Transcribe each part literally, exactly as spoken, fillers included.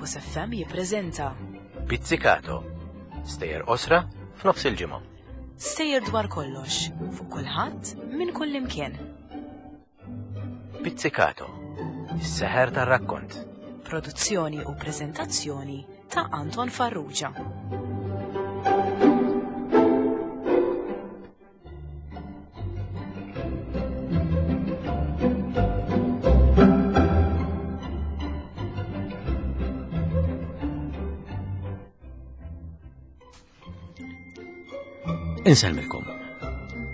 Campus F M jippreżenta Pizzicato, stejjer qosra f'nofs il-ġimgħa. Stejjer dwar kollox, fuq kulħadd minn kull imkien. Pizzicato, is-seħer tar-rakkont. Produzzjoni u preżentazzjoni ta' Anton Farrugia. Insellmilkom.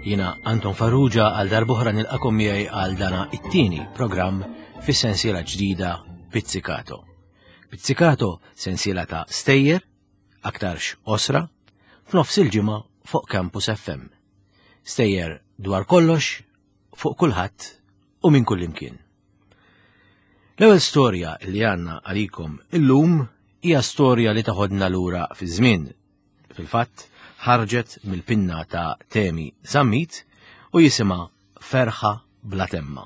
Jiena Anton Farrugia għal darb'oħra nilqakom miegħi għal dana it-tieni programm fis-sensiela ġdida Pizzicato. Pizzicato sensiela ta' stejjer, aktarx osra, f'nofs il-ġimgħa fuq Campus F M. Stejjer dwar kollox, fuq kulħadd u minn kull imkien. L-ewwel storja li għandna għalikom illum hija storja li taħodna lura fi żmien. Fil-fatt, ħarġet mill-pinna ta' Temi Zammit u jisimha Ferħa Bla Temma.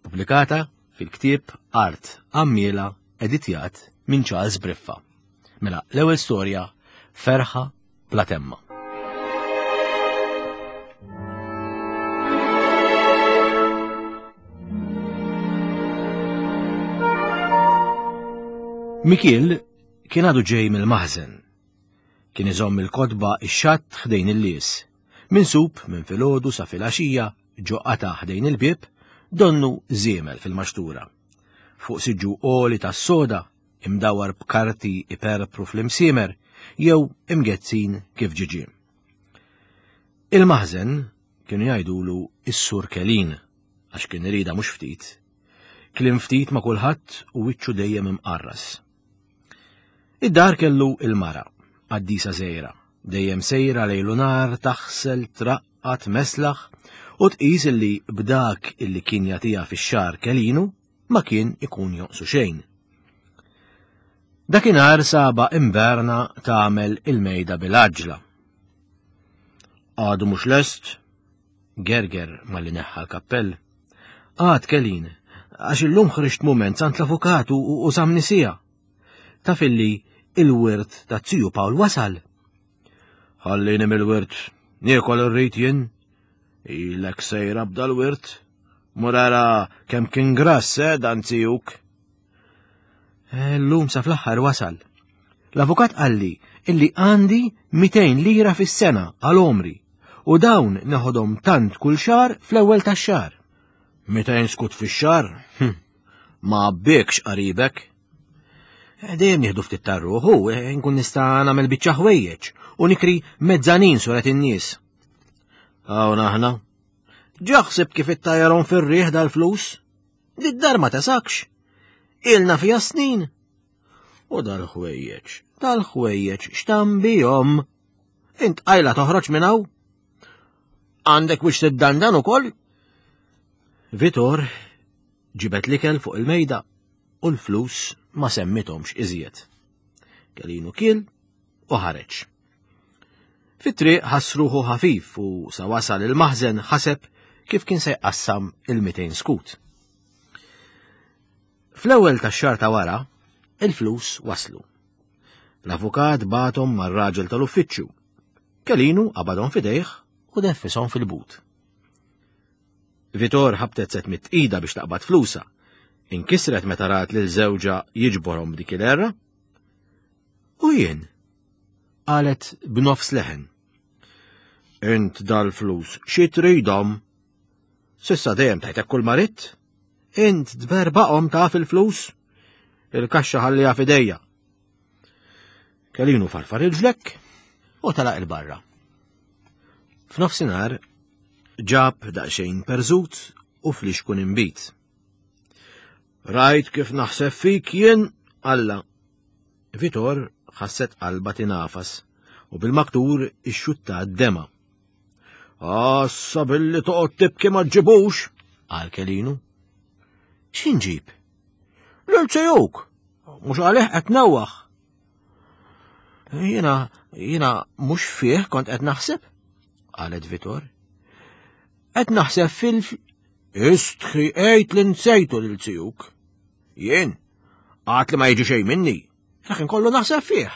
Pubblikata fil-ktieb Art Għammiela, editjat minn Charles Briffa. Mela, l-ewwel storja, Ferħa Bla Temma. Mikiel kien għadu ġej mill-maħżen. Kien iżomm il-kotba ix-xatt ħdejn il-lies. Minsub minn filgħodu sa filgħaxija ġo qata ħdejn il-bieb, donnu żiemel fil-maxtura. Fuq siġġu għoli tas-soda, imdawar b'karti iperpru fl-imsiemer, jew imgezzin kif ġiġi. Il-maħżen kienu jgħidulu is-Sur Kelin, għax kien irida mhux ftit. Kliem ftit ma' kulħadd u wiċċu dejjem imqarras. Id-dar kellu il-mara, qaddisa żgħira, dejjem sejra lejlu nar taħsel, traqqat, meslaħ u tqis illi b'dak illi kien jagħtiha fix-xahar Kelinu ma kien ikun jonqsu xejn. Dakinhar saba imberna tagħmel il-mejda bil-għaġla. Għadu mhux lest, gerger malli neħħa l-kappell. Għad Kelin, għax illum ħriġt mument sant l-avukatu u, u żamni sija. Taf illi il-wirt ta' ziju Pawl wasal. Ħallini mill-wirt, niekol irrid jien. Ilek sejra b'dal-wirt. Murara kemm kien grass, eh, dan zijuk. Illum sa fl-aħħar wasal. L-avukat qalli illi għandi mitejn lira fis-sena għal omri u dawn neħodhom tant kull xahar fl-ewwel tax-xahar. Mitejn skut fix-xahar? Hm, ma għabbikx qaribek. Eh, dejjem nieħdu ftit tar-ruħu, eh, nkun nista' nagħmel biċċa ħwejjeġ u nikri mezzanin suret in-nies. Hawn aħna. Ġaħseb kif ittajjarhom fir-riħ dal-flus. Did-dar ma tasakx. Ilna fiha snin. U dal-ħwejjeġ, dal-ħwejjeġ x'tam bihom. Int qajla toħroġ minn hawn? Għandek biex tiddandan ukoll? Vitor ġibet l-ikel fuq il-mejda u l-flus ma semmitomx iżjed. Kelinu kiel u ħareġ. Fit-triq ħassruħu ħafif u sa wasal il-maħżen ħaseb kif kien se jqassam il-mitejn skut. Fl-ewwel tax-xahar ta' wara, il-flus waslu. L-avukat bagħathom mar-raġel tal-uffiċċju. Kelinu qabadhom f'idejh u deffishom fil-but. Vitor ħabtet set mit-tqida biex taqbad flusa. Inkisret meta rat lil żewġha jiġborhom b'dik il-erra. U jien, qalet b'nofs leħen. Int dal-flus xi tridhom? Sissa dejjem tajtek kull ma ridt. Int tberbaqhom taf il-flus? Il-kaxxa ħalliha f'idejja. Kelinu farfar il-ġlekk u telaq il-barra. F'nofsinhar ġab daqsxejn perżut u flixkun inbid. Rajt kif naħseb fik jien, Alla. Vitor ħasset qalba tinafas u bil-maktur ixxutta d-dema. Assa billi toqgħod tibki ma ġġibux, qal Kelinu. X'inġib? Lil sejuk, mhux għalih qed newwaħ. Jiena, jiena mhux fih kont qed naħseb, qalet Vitor. Qed naħseb fil- Istħi għejt li nsejtu lil zijuk. Jien, għad li ma jiġi xejn minni. Lakin kollu naħseb fih.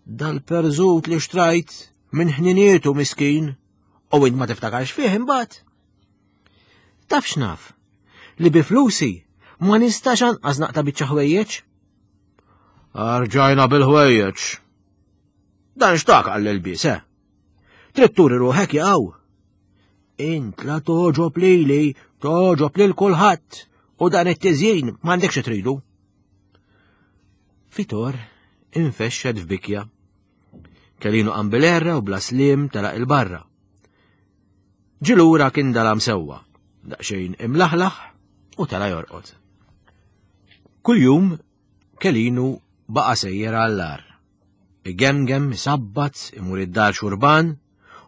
Dal-perżut li xtrajt minn ħninietu miskin, u int ma tiftakarx fih imbagħad. Taf x'naf, li bi flusi ma nistax anqas naqta' biċċa ħwejjeġ. Arġajna bil-ħwejjeġ. Dan xtak għall-ilbies, eh? Trid turi ruħek jaqgħu. Int la toġob lili, toġob lil kulħadd, u dan it-tiżjin m'għandekx tridu. Vitor infexxet f'bikja. Kelinu qam bil-erra u bla slim telaq il-barra. Ġilura kien dalam sewwa, daqsxejn imlaħlaħ u tela jorqod. Kuljum Kelinu baqa' sejjer għall-ar. Igemgem, isabbat, imur id-dar xurban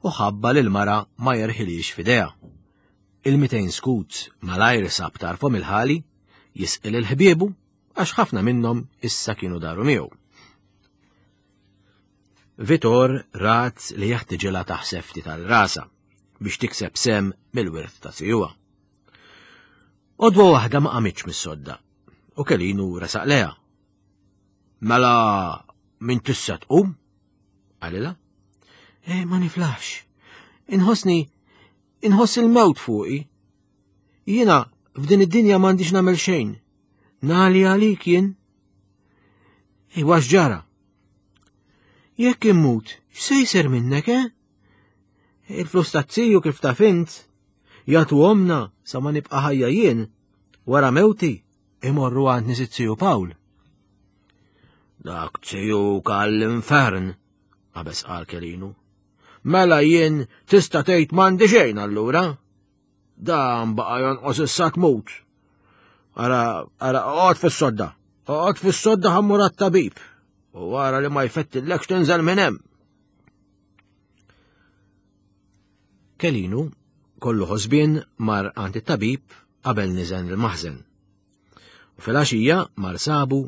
u ħabba lil mara ma jerħilix f'idejha. Il-mitejn skut malajr sab tarfhom il-ħali, jisqil il-ħbiebu għax ħafna minnhom issa kienu daru miegħu. Vitor rat li jeħtiġilha taħseb ftit tal-rasa biex tikseb sem mill-wirt ta' sijuha. Odwa waħda ma qamitx mis-sodda u Kelinu resaq leha. Mela min tissa tqum? Qalilha. E, ma niflaħx. Inħossni, inħoss il-mewt fuqi. Jiena f'din id-dinja m'għandix nagħmel xejn. Nali għalik jien. Iwa x'ġara? Jekk immut, x'se jsir minnek, eh? Il-flus taz-ziju kif taf int, jagħtu omna sa ma nibqa' ħajja jien, wara mewti imorru għand nies iz-ziju Pawl. Dak ziju għall-infern, qabeż qal Kelinu. Mela jien tista' tgħid m'għandi xejn allura. Dan baqa' jonqos issa tmut. Ara, ara, oqgħod fis-sodda. Oqgħod fis-sodda ħa mmur għat-tabib. U wara li ma jfettillekx tinżel minn hemm. Kelinu, kollu ħosbien, mar għand it-tabib qabel niżen il-maħżen. U fil-għaxija mar sabu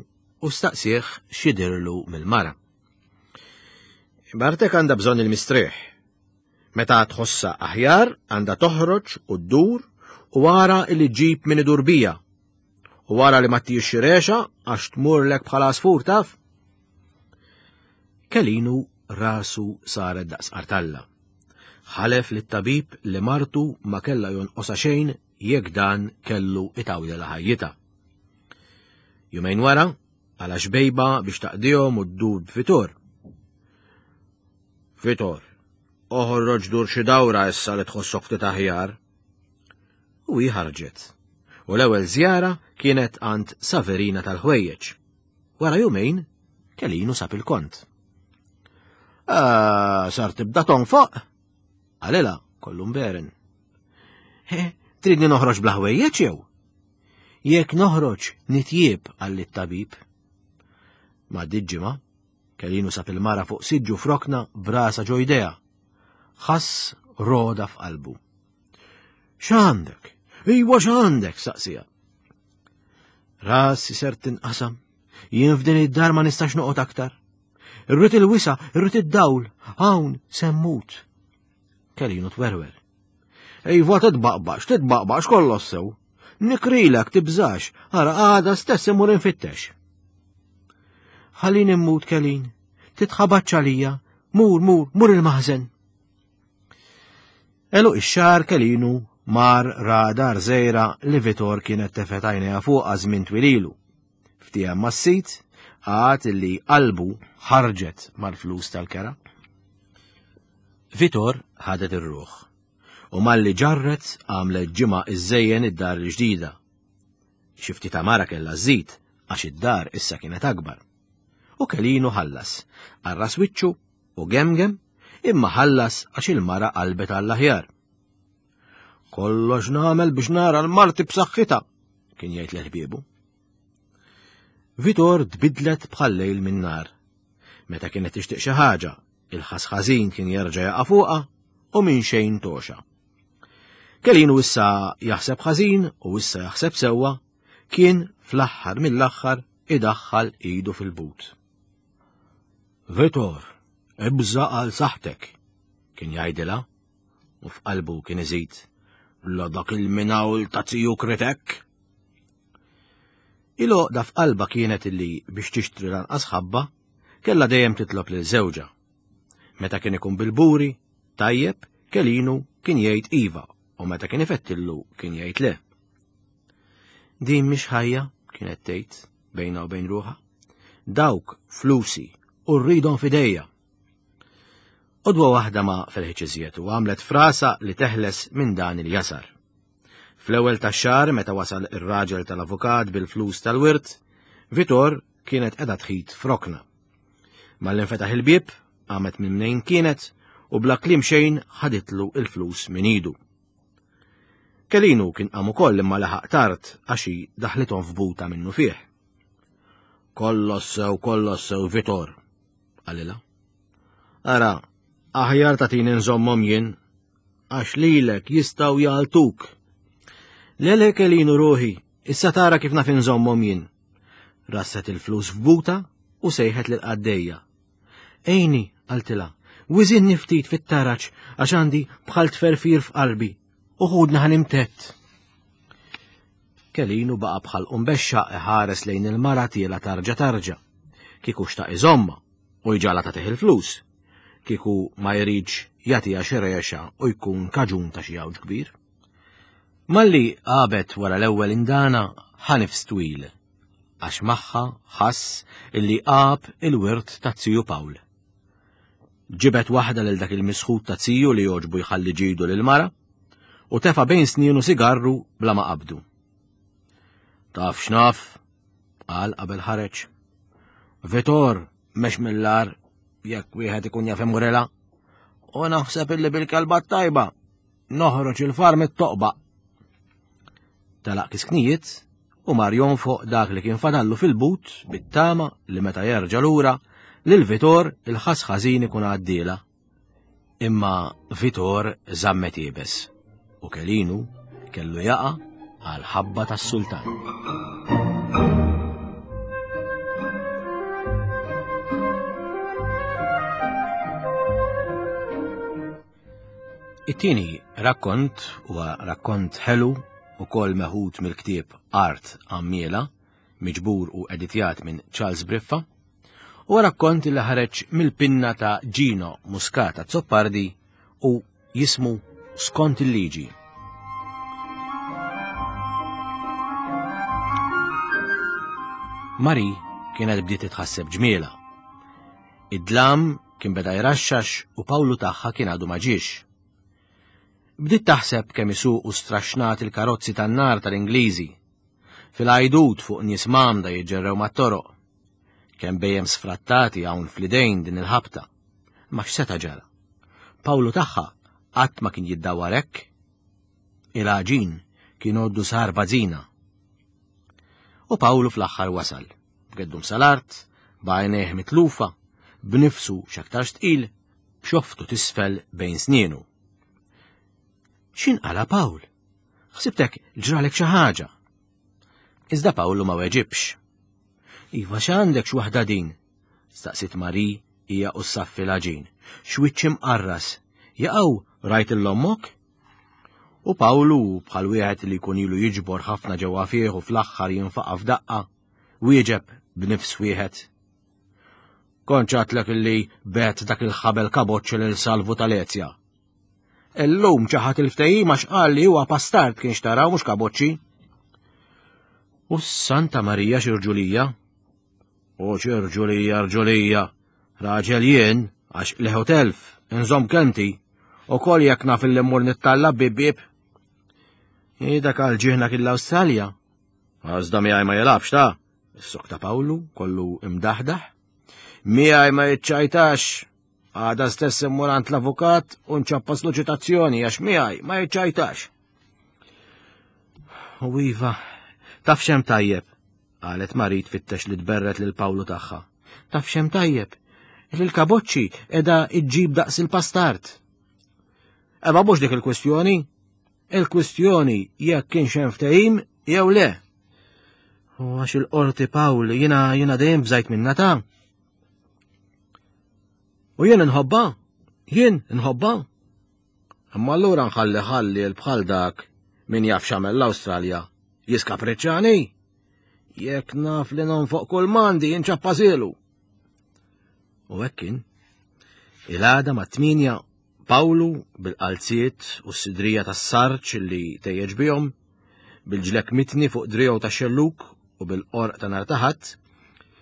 u staqsih x'jidirlu mill-mara. Bartek għandha bżonn il-mistrieħ. Meta tħossha aħjar għandha toħroġ u ddur u wara li ġġib min idur bija. U wara li ma ttijiex xi rexa għax tmurlek bħala għasfur taf. Kelinu rasu saret daqs qartalla. Ħalef lit-tabib li martu ma kellha jonqosha xejn jekk dan kellu itawdela ħajjitha. Jumejn wara, għala xbejba biex taqdihom u ddur b'Vitor. Vitor, oħroġ dur xi dawra issa li tħossok ftit aħjar. U hi ħarġet. U l-ewwel żjara kienet għand Saverina tal-ħwejjeġ. Wara jumejn, Kelinu sab il-kont. Ah, sar tibda tonfoq? Qalilha, kollu mberen. He, tridni noħroġ bla ħwejjeġ jew? Jekk noħroġ nitjieb, qalli t-tabib. Ma ġimgħa, Kelinu sab il-mara fuq siġġu frokna brasa ġo jdejha. Ħass roda f'qalbu. X'għandek? Iwa x'għandek? Saqsija. Rasi ser tinqasam. Jien f'din id-dar ma nistax noqgħod aktar. Irrid il-wisa, irrid id-dawl, hawn semmut. Kelinu twerwer. Iva titbaqbax, titbaqbax kollox sew. Nikrilek tibżax, ara għada stess imur infittex. Ħallini mmut Kelin, titħabatx għalija, mur, mur, mur il-maħżen. Elu ix-xahar Kelinu mar ra dar żgħira li Vitor kienet tefgħet għajnejha fuqha żmien twil ilu. Ftiehem mas-sid, għad li qalbu ħarġet mal-flus tal-kera. Vitor ħadet ir-ruħ u malli ġarret għamlet ġimgħa iżżejjen id-dar il-ġdida. Xi ftit għamara kellha żżid għax id-dar issa kienet akbar. U Kelinu ħallas, arras wiċċu u gemgem, imma ħallas għax il-mara qalbet għall-aħjar. Kollox nagħmel biex nara l-marti b'saħħitha, kien jgħid l-ħbiebu. Vitor tbidlet bħal lejl minn nar. Meta kienet tixtieq xi ħaġa, il-ħas ħażin kien jerġa' jaqa' fuqha u minn xejn toxa. Kelinu issa jaħseb ħażin u issa jaħseb sewwa, kien fl-aħħar mill-aħħar idaħħal idu fil-but. Vitor, ibża' għal saħħtek, kien jgħidilha, u f'qalbu kien iżid, la dak il-minawl ta' ziju kritek. Il-għoqda f'qalba kienet illi biex tixtri lanqas ħabba kellha dejjem titlob lil żewġha. Meta kien ikun bil-buri, tajjeb, Kelinu kien jgħid iva u meta kien ifettillu kien jgħid le. Din mhix ħajja, kienet tgħid bejna u bejn ruħha. Dawk flusi u rridhom f'idejja. Odwa waħda ma felħitx iżjed u għamlet frasa li teħles minn dan il-jasar. Fl-ewwel tax-xahar meta wasal ir-raġel tal-avukat bil-flus tal-wirt, Vitor kienet qiegħda tħit f'rokna. Malli nfetaħ il-bieb, qamet minn mnejn kienet u bla kliem xejn ħaditlu il-flus minn idu. Kelinu kien qam ukoll imma laħaq tard għax hi daħlithom f'buta minnu fih. Kollox sew, kollox sew, Vitor, qalilha. Ara, aħjar tagħtini nżommhom jien, għax lilek jistgħu jgħaltuk. Lele Kelinu ruħi, issa tara kif naf inżommhom jien. Rasset il-flus f'buta u sejħet lil qaddejja. Ejni, qaltilha, wiżinni ftit fit-taraġ għax għandi bħal tferfir f'qalbi u ħudna ħanimtett. Kelinu baqa' bħal qumbexxa iħares lejn il-mara tiela tarġa tarġa. Kieku xtaq iżomma u jġala tagħtih il-flus. Kieku ma jridx jagħtiha xi rexa u jkun kaġun ta' xi għawġ kbir. Malli għabet wara l-ewwel indana ħanifs twil, għax magħha ħass illi għab il-wirt ta' ziju Pawl. Ġibet waħda lil dak il-misħut ta' ziju li jogħġbu jħalli ġidu lil mara u tefa' bejn snienu sigarru bla ma qabdu. Taf x'naf, qal qabel ħareġ. Vitor mex mill-ar jekk wieħed ikun jaf imurela, u naħseb illi bil-kelba tajba noħroġ il-far mit-toqba. Talaq kisknijiet u mar jonfoq dak li kien fadallu fil-but bit-tama li meta jerġa' lura lil Vitor il-ħass ħażin ikun għaddiela. Imma Vitor żammet iebes u Kelinu kellu jaqa' għal ħabba tas-sultan. It-tieni rakkont huwa rakkont ħelu u kol meħud mill-ktieb Art Għammiela, miġbur u editjat minn Charles Briffa, u rakkont li ħareġ mill-pinna ta' Gino Muscat Azzopardi u jismu Skont il-Liġi. Mari kienet bdiet titħasseb ġmiela. Id-dlam kien beda jraxxax u Pawlu tagħha kien għadu ma ġiex. Bdiet taħseb kemm isuqu straxnat il-karozzi tan-nar tal-Ingliżi, fil-għajdut fuq nies mamda jiġġerrew mat-toroq, kemm bejjem sfrattati hawn fl-idejn din il-ħabta. Ma x'seta' ġara? Pawlu tagħha qatt ma kien jiddawwar hekk. Il-għaġin kien għoddu sar bażina. U Pawlu fl-aħħar wasal, b'geddum sal-art, b'għajnejh mitlufa, b'nifsu x'aktarx tqil, b'xoftu tisfel bejn snienu. X'inqala Pawl? Ħsibtek ġralek xi ħaġa. Iżda Pawlu ma weġibx. Iva x'għandek x'waħda din? Staqsit Mari hija u ssaffi l-għaġin. X'wiċċ imqarras. Jaqgħu rajt il-ommok? U Pawlu bħal wieħed li jkun ilu jiġbor ħafna ġewwa fih u fl-aħħar jinfaqa' f'daqqa, wieġeb b'nifs wieħed. Kont ċatlek illi bet dak il-ħabel kaboċċi lil Salvu tal-Ezja. Illum ċaħat il-ftehim għax qal li huwa pastard kien xtara u mhux kaboċċi. U Santa Marija x'irġulija? U x'irġulija rġulija, raġel jien għax leħu telf, inżomm kelmti, u kol jekk naf illi mmur nittalla bib bib. Dak għal ġieħna kien l-Awstralja. Għażda miegħi ma jilgħabx ta' is-sok ta' Pawlu kollu imdaħdaħ. Miegħi ma jiċċajtax. Għada stess immur għand l-avukat u nċappaslu ċitazzjoni għax miegħi ma jiċċajtax. U iva, taf x'hemm tajjeb, qalet Mari tfittex li tberret lil Pawlu tagħha. Taf x'hemm tajjeb, li l-kaboċċi qiegħda iġġib daqs il-pastard. Eba mhux dik il-kwistjoni. Il-kwistjoni jekk kienx hemm ftehim jew le. U għax il-qorti Pawl jiena jiena dejjem bżajt minna ta'. U jien nħobba, jien nħobba. Imma allura nħalli ħalli l-bħal dak min jaf x'għamel l-Awstralja jiskapriċċani. Jekk naf li nonfoq kull mandi inċappażilu. U hekk kien. Il-għada ma' tminja Pawlu bil-qalziet u s-sidrija tas-sarċ li tejjeġ bihom, bil-ġlek mitni fuq driegħu ta' xelluk u bil-qorq ta' nhar ta' Ħadd,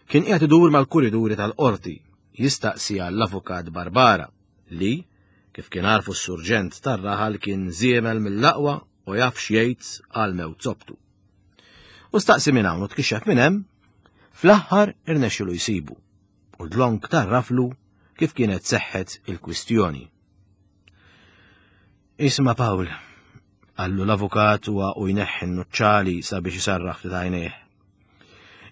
kien qiegħed idur mal-kuriduri tal-qorti jistaqsi għall-avukat Barbara li, kif kien għarfu s-surġent tar-raħal, kien żiemel mill-aqwa u jaf x'jgħid għal mewt sobtu. U staqsi minn hawn u tkixxef minn hemm, fl-aħħar irnexxielu jsibu u dlonk tarraflu kif kienet seħħet il-kwistjoni. Isma' Pawl, qallu l-avukat huwa u jneħħi n-nuċċali sabiex isarraħ ftit għajnejh.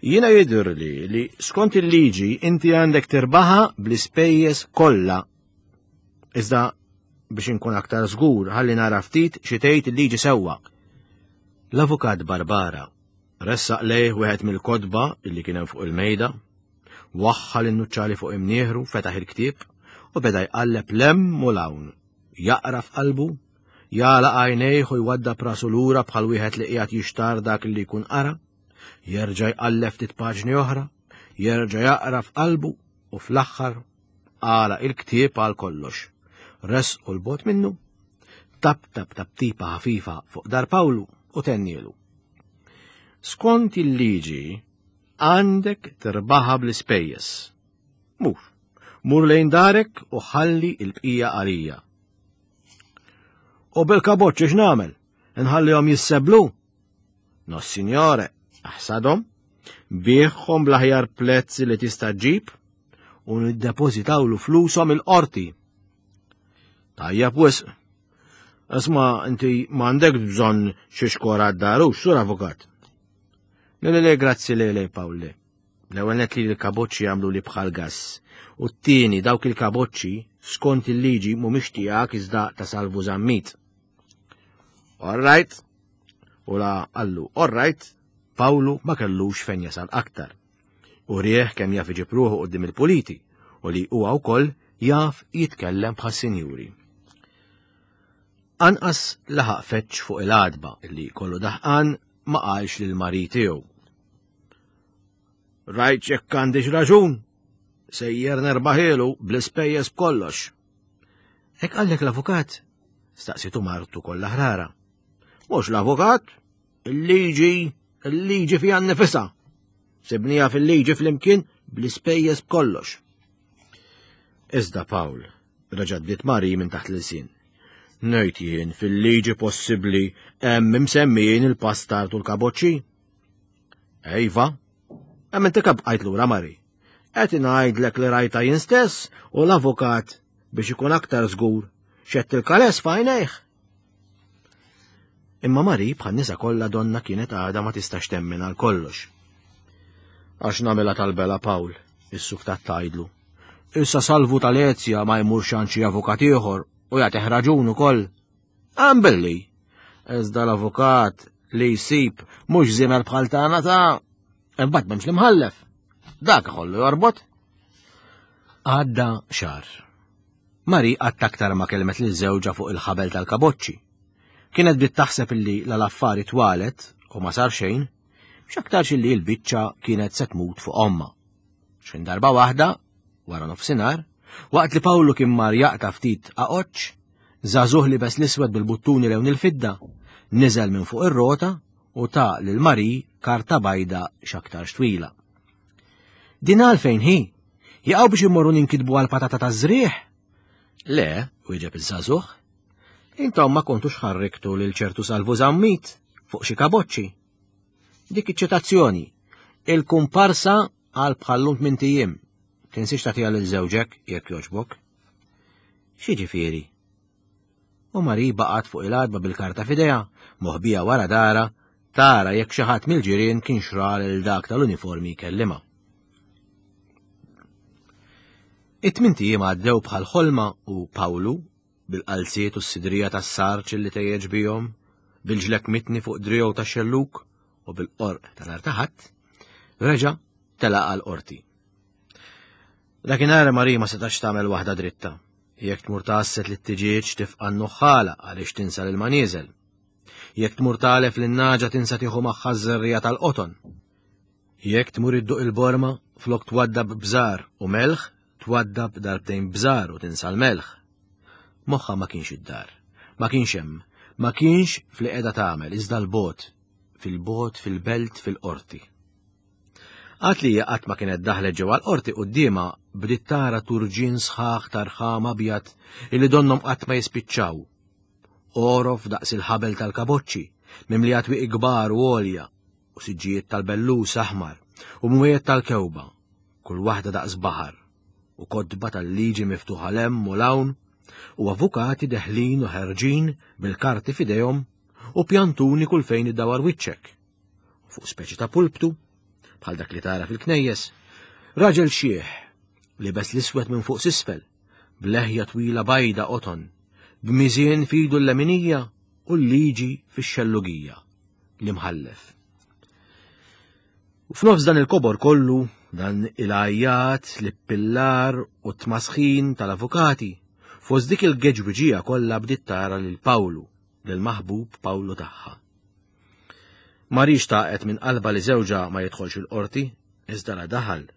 Jiena jidhirli li skont il-liġi inti għandek tirbaħa bl-ispejjeż kollha. Iżda biex inkun aktar żgur ħalli nara ftit xi tgħid il-liġi sewwa. L-avukat Barbara ressaq lejh wieħed mill-kotba illi kien hemm fuq il-mejda, waħħal in-nuċċali fuq imnieħru, fetaħ il-ktieb u beda jqalleb 'l hemm u 'l hawn, jaqra f'qalbu, jagħlaq għajnejh u jwaddab rasu lura bħal wieħed li qiegħed jixtar dak li jkun qara, jerġa' jqalleb ftit paġni oħra, jerġa' jaqra f'qalbu u fl-aħħar għalaq il-ktieb għal kollox. Resqu 'l bogħod minnu, tap tap taptipa ħafifa fuq dar Pawlu u tennielu. Skont il-liġi għandek tirbaħa bl-ispejjeż. Mur, mur lejn darek u ħalli il-bqija għalija. U bil-kaboċċi x'nagħmel? Nħallihom jisseblu? No, signore, aħsadhom, biegħhom bl-aħjar prezz li tista' ġġib u niddepożitawlu flushom il-qorti. Tajjeb wisq. Isma' inti m'għandek bżonn xi xkora d-dar, hux, sur avukat. Le, le, le, grazzi, le, le, Pawl, le. L-ewwel nett li l-kaboċċi jagħmlu li bħal gass. U t-tieni dawk il-kaboċċi skont il-liġi mhumiex tiegħek iżda ta' Salvu Zammit. All right. U la qallu, all right, Pawlu ma kellux fejn jasal aktar. U rieħ kemm jaf iġib ruħu quddiem il-puliti u li huwa wkoll jaf jitkellem bħas-sinjuri. Anqas laħaq feċ fuq il-għadba li kollu daħqan ma qalx lil Mari tiegħu. Rajt jekk għandix raġun, sejjer nerbaħielu bl-ispejjeż b'kollox. Hekk qallek l-avukat? Staqsitu martu kollha ħrara. Mhux l-avukat, il-liġi, il-liġi fiha nnifisha. Sibnija fil-liġi flimkien bl-ispejjeż b'kollox. Iżda Pawl, reġgħet bdiet Mari minn taħt l-ilsien. Ngħid jien fil-liġi possibbli hemm imsemmijin il-pastard u l-kaboċċi? Ejva, hemm inti bqajt lura Mari. Qed ngħidlek li rajta jien stess u l-avukat biex ikun aktar żgur xett il-kales f'għajnejh. Imma Mari bħal nisa kollha donna kienet għadha ma tistax temmen għal kollox. Għax nagħmilha tal-bela Pawl, is-suktat tgħidlu. Issa Salvu tal-Ezja ma jmurx għand xi avukat ieħor u jagħtih raġun ukoll. Għambilli, iżda l-avukat li jsib mhux żiemel bħal tagħna ta' imbagħad m'hemmx l-imħallef. Dak iħollu jorbot. Għadda xahar. Mari qatt aktar ma kellmet lil żewġha fuq il-ħabel tal-kaboċċi. Kienet bdiet taħseb illi l-affari twalet u ma sar xejn, x'aktarx illi l-biċċa kienet se tmut fuq omma. X'in darba waħda, wara nofsinhar, waqt li Pawlu kien mar jaqta' ftit aqoċċ, żagħżugħ libes l-iswed bil-buttuni lewn il-fidda, niżel minn fuq ir-rota u ta' lil Mari karta bajda x'aktarx twila. Din għalfejn hi? Jaqgħu biex immorru ninkitbu għal patata ta' żrieħ? Le, wieġeb iż-żagħżugħ. Intom ma kontux ħarriktu lil ċertu Salvu Zammit fuq xi kaboċċi. Dik iċ-ċitazzjoni, il-kumparsa għal bħallum tmint ijiem. Tinsiex tagħtiha lil żewġek jekk jogħġbok. X'jiġifieri? U Mari baqgħet fuq il-għadba bil-karta f'idejha, moħbija wara dara, tara jekk xi ħadd mill-ġirien kien xra lil dak tal-uniformi jkellimha. It-tmint ijiem għaddew bħal ħolma u Pawlu, bil-qalziet u s-sidrija tas-sarċ li tejjeġ bihom, bil-ġlek mitni fuq driegħu tax-xelluk u bil-qorq ta' nhar ta' Ħadd, reġa' telaq għal qorti. Dakinhar Mari ma setax tagħmel waħda dritta. Jekk tmur tgħasset li t-tiġieġ tifqa' n-nuħħala għaliex tinsa lil ma nieżel. Jekk tmur tagħlef lin-naġa tinsa tieħu magħha ż-żerriegħa tal-qoton. Jekk tmur idduq il-borma, flok twaddab bżar u melħ, twaddab darbtejn bżar u tinsa l-melħ. Moħħa ma kienx id-dar, ma kienx hemm, ma kienx fli qiegħda tagħmel iżda l-bot, fil-bot, fil-belt, fil-qorti. Għad li qatt ma kienet daħlet ġewwa l-qorti quddiemha bdiet tara turġien sħaħ tarħam abjad illi donnhom qatt ma jispiċċaw. Orof daqs il-ħabel tal-kaboċċi, mimlija twieqi kbar u għolja, u siġġijiet tal-bellus aħmar, u mwiet tal-kewba, kull waħda daqs baħar, u kotba tal-liġi miftuħa 'l hemm u 'l hawn, u avukati deħlin u ħerġin bil-karti f'idejhom u pjantuni kull fejn iddawar wiċċek. Fuq speċi ta' pulptu, bħal dak li tara fil-knejjes, raġel xieħ, libes l-iswed minn fuq s'isfel, b'leħja twila bajda qoton, b'miżien f'idu l-leminija u l-liġi fix-xellugija, l-imħallef. U f'nofs dan il-kobor kollu, dan il-għajjat, l-ippillar u t-tmasħin tal-avukati, fost dik il-geġwiġija kollha bdiet tara lil Pawlu, lil-maħbub Pawlu tagħha. Mari xtaqet minn qalba li żewġha ma jidħolx il-qorti, iżda la daħal.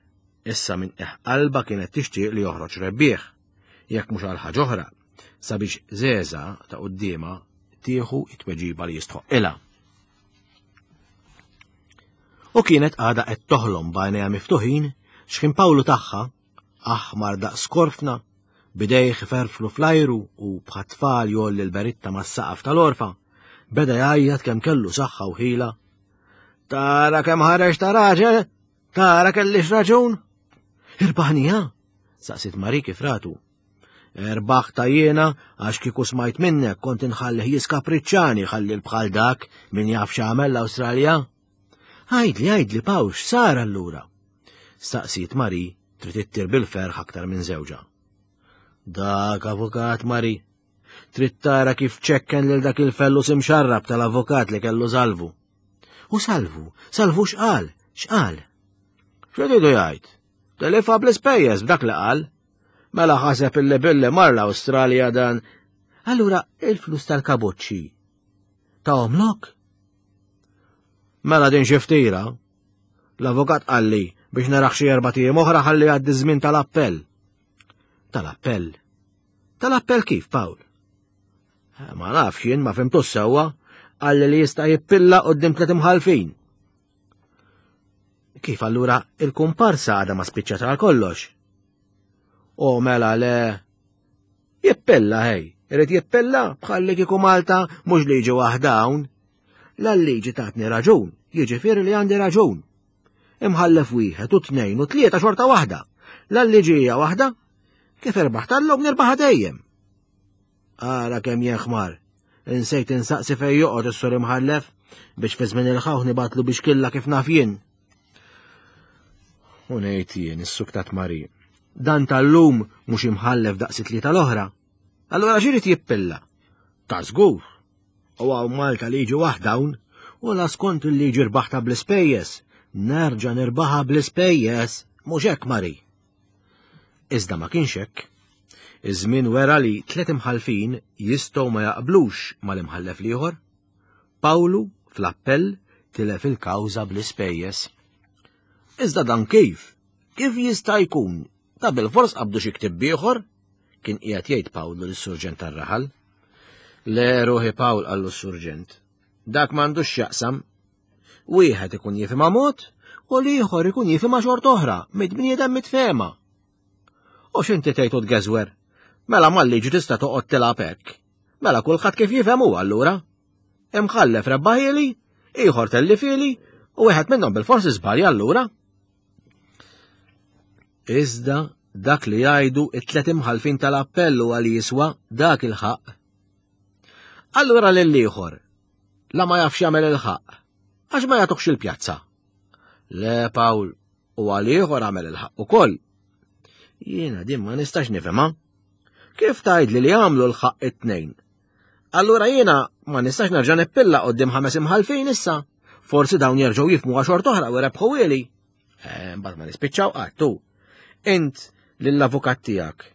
Issa minn qiegħ qalba kienet tixtieq li joħroġ rebbieħ, jekk mhux għal ħaġa oħra, sabiex Żeża ta' quddiemha tieħu it-tweġiba li jistħoqilha. U kienet għadha qed toħlom b'għajnejha miftuħin x'ħin Pawlu tagħha, aħmar daqs korfna, bidejh iferflu fl-ajru u bħat-tfal jgħolli l-beritta mas-saqaf tal-orfa, beda jgħajjat kemm kellu saħħa u ħila. Tara kemm ħareġ ta' raġel, tara kellix raġun. Irbaħnija, saqsit Mari kif ratu. Erbaħta jiena għax kieku smajt minnek kont inħallih jiskapriċċani ħalli l-bħal dak min jaf x'għamel l-Awstralja. Għajdli, għajdli, Pawl, x'sar allura? Staqsiet Mari trid ittir bil-ferħ aktar minn żewġha. Dak avukat Mari, trid tara kif ċekken lil dak il-fellus imxarrab tal-avukat li kellu Salvu. U Salvu, Salvu x'qal, x'qal? X'iridu jgħid? Telifha bl-ispejjeż b'dak li qal. Mela ħaseb illi billi mar l-Awstralja dan. Allura il-flus tal-kaboċċi tahomlok? Mela din xi ftira. L-avukat qalli biex narax xi erba' ijiem oħra ħalli jgħaddi żmien tal-appell. Tal-appell? Tal-appell kif, Pawl? Ma nafx jien, ma fhimtux sewwa, qalli li jista' jippilla quddiem tliet imħallfin. Kif allura il-kumparsa għadha ma spiċċat għal kollox? O mela le, jippilla ħej, irid jippilla bħalli kieku Malta mhux liġi waħda hawn. La l-liġi tatni raġun, jiġifieri li għandi raġun. Imħallef wieħed u tnejn u tlieta xorta waħda. La l-liġi hija waħda, kif irbaħ tal-lum nirbaħ dejjem. Ara kemm jenħmar, insejt insaqsi fejn joqgħod is-sur imħallef biex fi żmien il-ħawħ nibatlu biex killa kif naf jien. U ngħid jien is-suktat Mari, dan tal-lum mhux imħallef daqs it-tlieta l-oħra. Allura x'irid jippilla? Ta' żgur. U hawn Malta liġi waħda hawn, u la skont il-liġi rbaħta bl-ispejjeż, nerġa' nirbaħha bl-ispejjeż, mhux hekk Mari. Iżda ma kienx hekk. Iż-żmien wera li tliet imħallfin jistgħu ma jaqblux mal-imħallef l-ieħor. Pawlu fl-appell tilef il-kawża bl-ispejjeż. Iżda dan kif? Kif jista' jkun? Ta' bil-fors qabdu xi ktieb ieħor? Kien qiegħed jgħid Pawlu lis-surġent tar-raħal. Le ruħi Pawl, qallu s-surġent. Dak m'għandux x'jaqsam. Wieħed ikun jifhimha mod u l-ieħor ikun jifhimha xorta oħra, mid-bniedem mitfehma. U x'inti tgħid u tgeżwer? Mela mal-liġi tista' toqgħod tilgħab hekk. Mela kulħadd kif jifhem hu allura. Imħallef rebbaħieli, ieħor tellifili, u wieħed minnhom bil-forsi żbalja allura. Iżda dak li jgħidu it-tliet imħallfin tal-appell huwa li jiswa dak il-ħaqq. Allura lill-ieħor, la ma jafx jagħmel il-ħaqq, għax ma jagħtuhx il-pjazza. Le Pawl, u għal ieħor għamel il-ħaqq ukoll. Jiena din ma nistax nifhimha. Kif tgħidli li għamlu l-ħaqq it-tnejn? Allura jiena ma nistax nerġa' nippilla quddiem ħames imħallfin issa. Forsi dawn jerġgħu jifhmu għax oħra u rebħu ili. Eh, mbagħad ma nispiċċaw qatt. Int lill-avukat tiegħek.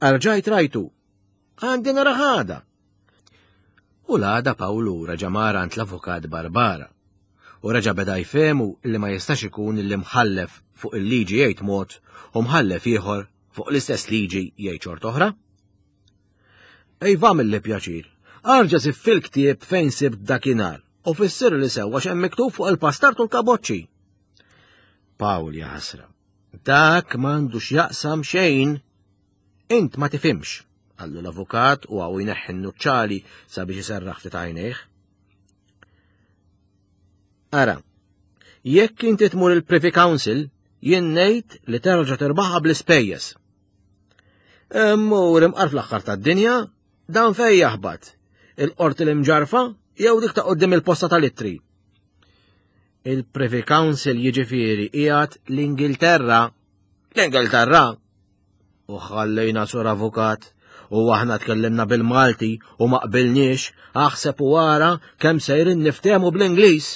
Arġajt rajtu. Għandi nara ħada. U l-għada Pawlu reġa' mar għand l-avukat Barbara. U reġa' beda jfehmu li ma jistax ikun li mħallef fuq il-liġi jgħid mod u mħallef ieħor fuq l-istess liġi jgħid xorta oħra. Ejva mill pjaċir, arġa sib fil-ktieb fejn sibt dakinhar u fissir li sewwa x'hemm miktub fuq il-pastart u l-kaboċċi. Pawl jaħasra. Dak m'għandux jaqsam xejn. Int ma tifhimx, qallu l-avukat u għaw jneħħi n-nuċċali sabiex iserraħ ftit għajnejh. Ara, jekk inti tmur il-Privy Council, jien ngħid li terġa' tirbaħha bl-ispejjeż. Immur imqar fl-aħħar tad-dinja, dan fejn jaħbat? Il-qorti l-imġarfa jew dik ta' qudiem il-posta tal-ittri? Il-Privy Council jiġifieri qiegħed l-Ingilterra. L-Ingilterra? U ħallejna sur avukat, u aħna tkellimna bil-Malti u ma qbilniex, aħseb u wara kemm sejrin niftehmu bl-Ingliż.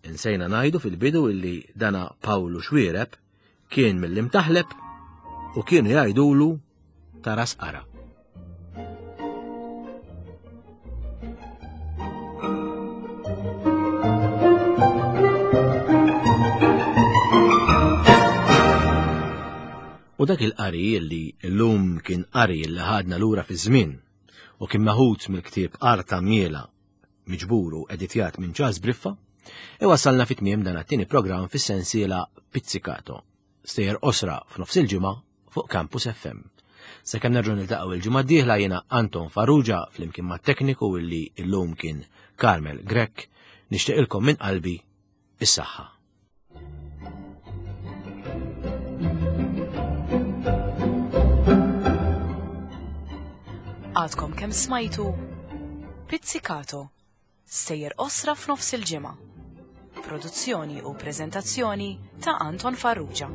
Insejna ngħidu fil-bidu illi dana Pawlu Xwiereb kien mill-imtaħleb u kienu jgħidulu ta' ras qara. U dak il-qari li llum kien qari li ħadna lura fi żmien u kien meħud mill-ktieb Arta Miela miġbur u editjat minn Charles Briffa, iwassalna fit tmiem dan it-tieni programm fis-sensiela Pizzicato, stejjer qosra f'nofs il-ġimgħa fuq Campus F M. Sakemm nerġgħu niltaqgħu il-ġimgħa d-dieħla jiena Anton Farrugia flimkien mat-tekniku illi llum kien Carmel Grech, nixtieqilkom minn qalbi is-saħħa. Għadkom kemm smajtu Pizzicato, stejjer qosra f'nofs il-ġimgħa. Produzzjoni u preżentazzjoni ta' Anton Farrugia.